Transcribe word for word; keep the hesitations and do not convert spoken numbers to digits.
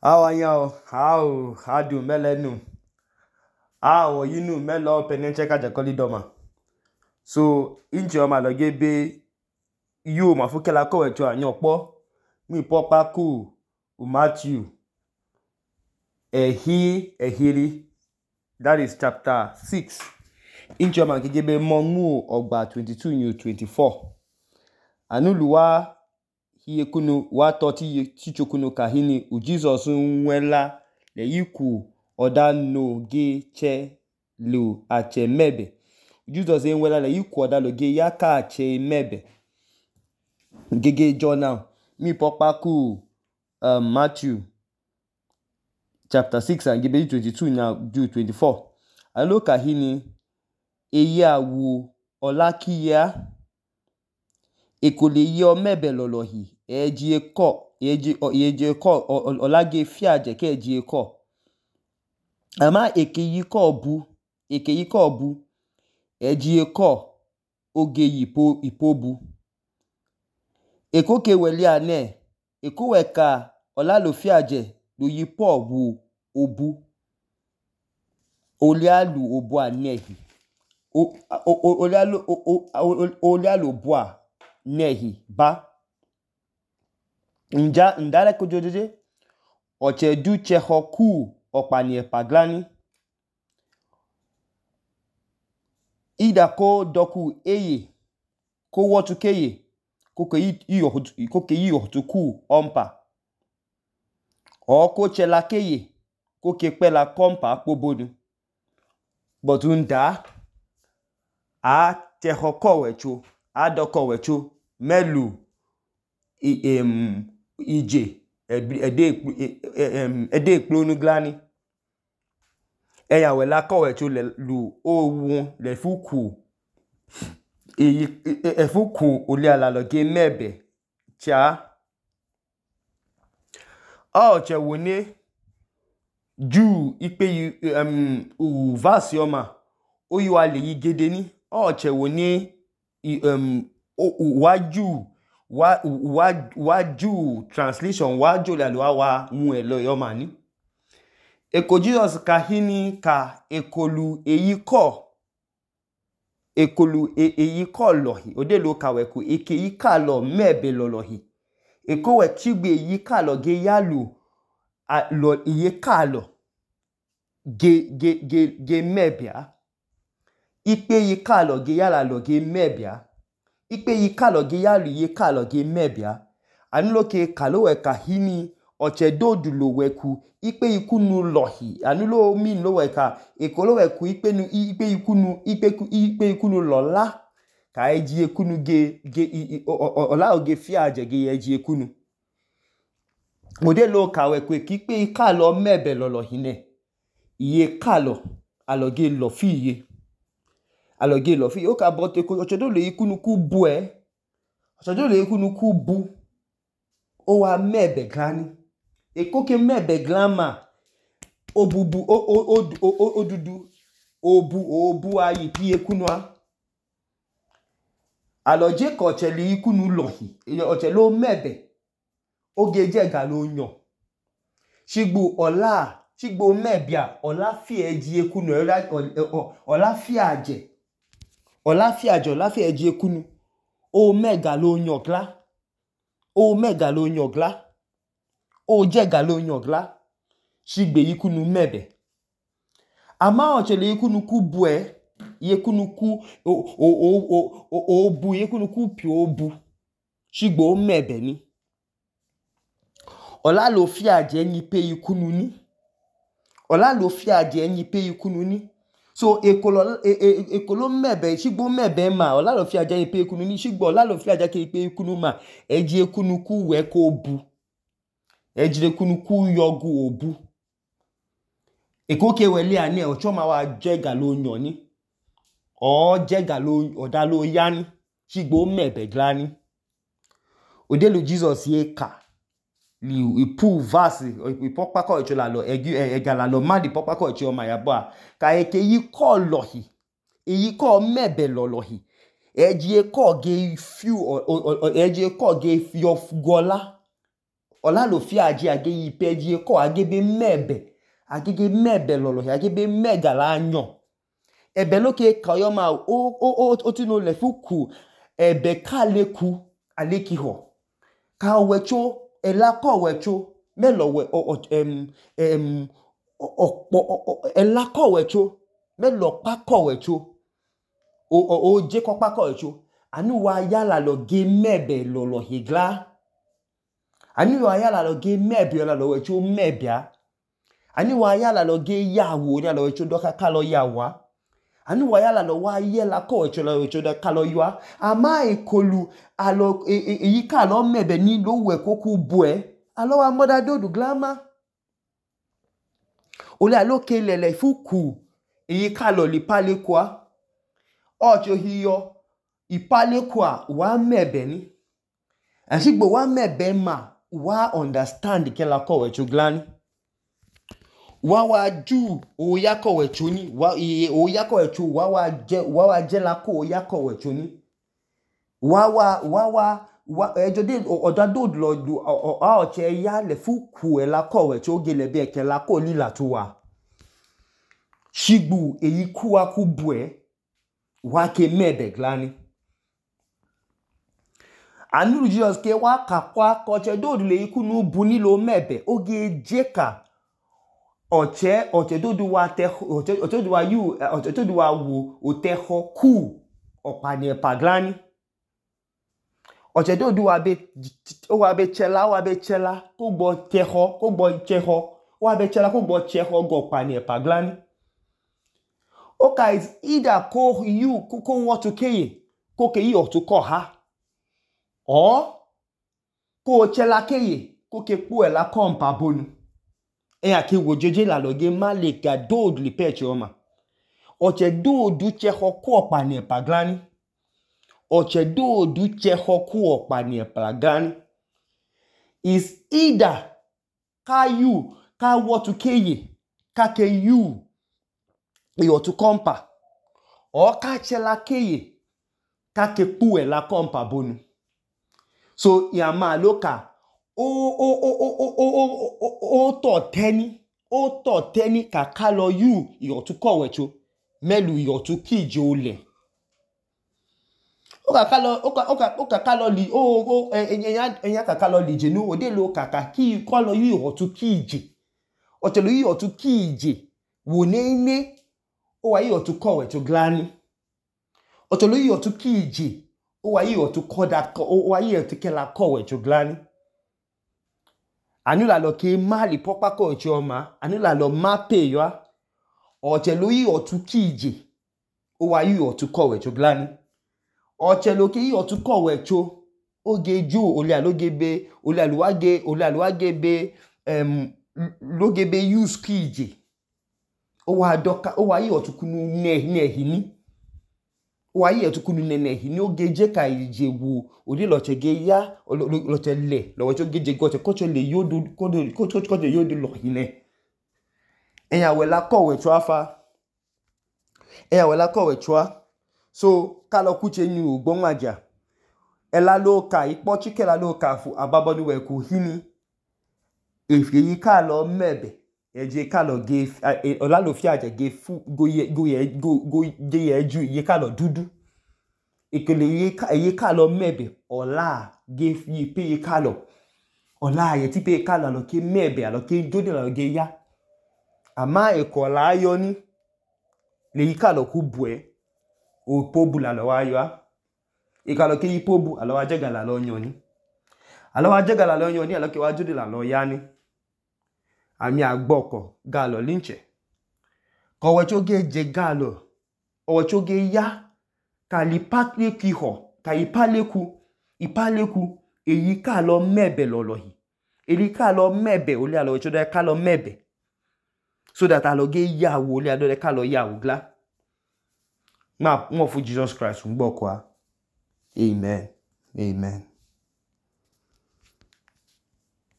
How are you? How? How do melenu? How you know melo penenche kaja koli doma. So inchi oma loge be you ma fukela ko wecho anyopo mi popa ku u Matthew ehi ehiri, that is chapter six. Inchi oma gege be mongu ogba twenty-two new twenty-four. Anuluwa hiye kunu wa toti chichokunu kahini u Jesus nwela le yiku oda no ge che lu ache mebe. Jesus nwela le yiku oda lo ge yaka ache mebe. Gege John mi pokpa ku um, Matthew chapter six and gebe twenty-two now do twenty-four. Alo kahini eye awu olakiya ekole ye mebe lolohi eji eko eji eji eko olage fiaje ke eji eko ama ekeyi ko bu ekeyi ko bu eji eko oge yipo ipobu ekoke weli ane ekoweka olalo fiaje lo yipo wu obu olialu obu anehi o olialu olialu obu a nehi ba nja ndare kojojeje oche du chehoku opani epaglani ida ko doku eye ko wotu keye ko ke iyo ko ke iyo tuku ompa o ko chela keye ko ke pela kompa pobonu but unda a chehoko wecho a doko wecho melu i em ije ede ede ekplonu glani eya wela ko wecho le lu owu le fuku eyi efuku oli ala lo ge mebe cha o che woni ju ipe um u verse oma oyi wa le yigede ni o che woni um waju wa wa waju translation waju le lo wa mu elo yoma ni eko Jesus kahini ka ekolu eyi ko ekolu eyi ko lohi ode lo ka weku eke yi ka lo mebe lolohi eko we chigbe eyi ka lo ge yalu lo iye ka lo ge ge ge ge mebia ipe yi ka lo ge yala lo ge mebia ipe yi ka lo ge yalu iye ka lo ge mebia anulo ke kalo we kahini oche dodu lo weku ipe ikunu lohi anulo mi lo weka ekolo weku ipe nu ipe ikunu ipe ipe ikunu lola ka eji ekunu ge ge ola oge fiaje ge eji ekunu ode lo ka weku ipe ka lo mebe lolohi ne iye ka lo aloge lo fi iye aloge lo fi o ka bote ko oche do le ikunu ku bu e oche do le ikunu ku bu o wa mebe glani ekoke mebe glama obubu o o o odudu obu obu ayi pi ekunua aloje ko chele ikunu lohi oche lo mebe oge jega lo yan shigbu ola shigbo mebia ola fi eji ekunu ola fi aje ola fi aje ola fi eji ekunu o mega lo yan gla o mega lo yan gla o jega lo yan gla shigbe ikunu mebe ama ochele ikunu ku bu e ikunu ku o o o o obu ikunu ku pi obu shigbo mebe ni ola lo fi aje ni pe ikunu ni ola lo fi aje ni pe ikunu ni so ekolo ekolo mebe shigbo mebe ma ola lo fi aje ni pe ikunu ni shigbo ola lo fi aje ke pe ikunu ma eji ekunu ku we ko obu eji ekunu ku yogu obu ekoke wele ani ocho ma wa jega lo yan ni o jega lo oda lo yani shigbo mebe glani ode lo Jesus ye ka li ipu verse ipopa ko echo la lo ega la lo ma di popa ko echo ma ya ba ka eke yi ko lohi eyi ko mebe lolohi eji eko ge fiu eji eko ge fi of gola Ọlalofia aje age yipe je ko agebe mebe agege mebe lọlọhi agebe megala anyo ebe loke kayo ma o o o ti no le fuku ebe kaleku alekiho ka wecho elako wecho melo we em em opo elako wecho melo pako wecho o o o je ko pako wecho anu wa yala lo ge mebe lọlọhi gla anu wa yala lo ge mebe la lo wecho mebia anu wa yala lo ge yawo ni lo wecho doka kalo yawa anu wa yala lo wa yela ko wecho lo wecho doka kalo yawa ama ekolu alo eyi ka lo mebe ni lo we koku bue alo wa moda dodu glama ole alo ke lele fuku eyi ka lo li pale kwa ocho hiyo ipale kwa wa mebe ni asigbo wa mebe ma wa understand ke la ko wecho glani wa wa ju o ya ko wecho ni wa o ya ko wecho wa wa je wa wa je la ko o ya ko wecho ni wa wa wa wa wa ejo de odado lo du a o che ya le fuku e la ko wecho ge le be ke la ko lila to wa shigbu eyi ku wa ku bue wa ke mebe glani anu Jesus ke wa kakwa ko che do le iku nu bu ni lo mebe oge jeka oche oche do du wa te oche oche do wa yu oche do wa wo o te ho ku opani paglani oche do du wa be o wa be chela wa be chela ko gbo te ho ko gbo che ho wa be chela ko gbo che ho go pani paglani okay is either ko you ko ko what to keye ko ke yi o to ko ha or ko chela keye ko ke pu e la kompa bonu e ake wo jeje la loge malika dod li peche oma oche do du che ho ko opani paglani oche do du che ho ko opani paglani is either ka you ka what to keye ka ke you e o to kompa or ka chela keye ka ke pu e la kompa bonu so ya ma loka o o o o o o o o to teni o to teni ka kalo you yo to ko wecho melu yo to kije ole o ka kalo o ka o ka o ka kalo li o o eyan eyan ka kalo li je nu o de lo kaka ki kalo you yo to kije o te lo you yo to kije wo nene o wa yo to ko wecho glani o te lo you yo to kije o wa yo to ko that o wa yo to kela ko wecho glani anu la lo ke mali popa ko choma anu la lo mape yo o che lo yi o tu kije o wa yi o tu ko wecho glani o che lo ke yi o tu ko wecho o ge ju ole alo gebe ole alo wa ge ole alo wa gebe em lo gebe use kije o wa doka o wa yi o tu kunu ne ne hini o wa yi o tu kunu ne ne hini o ge je ka ije wo odi lo che ge ya lo che le lo che ge je go che ko che le yodo ko do ko ko de yodo lo hine eyan we la ko we chu afa eyan we la ko we chu so ka lo ku che ni ogbon aja e la lo ka ipo chike la lo ka fu ababonu we ku hini efi yi ka lo mebe eje ka lo ge Ọlalofia aje ge fu go ye go ye go go je ye ju ye ka lo dudu ikele ye ka ye ka lo mebe ola ge fi pe ye ka lo ola ye ti pe ka lo ke mebe alo ke jode lo ge ya ama e ko la yo ni le yi ka lo ku bue o pobu la lo wa yo e ka lo ke yi pobu alo wa je ga la lo yan ni alo wa je ga la lo yan ni alo ke wa jode la lo ya ni ami agboko ga lo linche ko we cho ge je ga lo o we cho ge ya ka li patle ki ho ka ipaleku ipaleku eyi ka lo mebe lolohi eyi ka lo mebe ole alo we cho de ka lo mebe so that alo ge ya wo ole alo de ka lo ya wo gla ma mo fu Jesus Christ ngbo kwa amen amen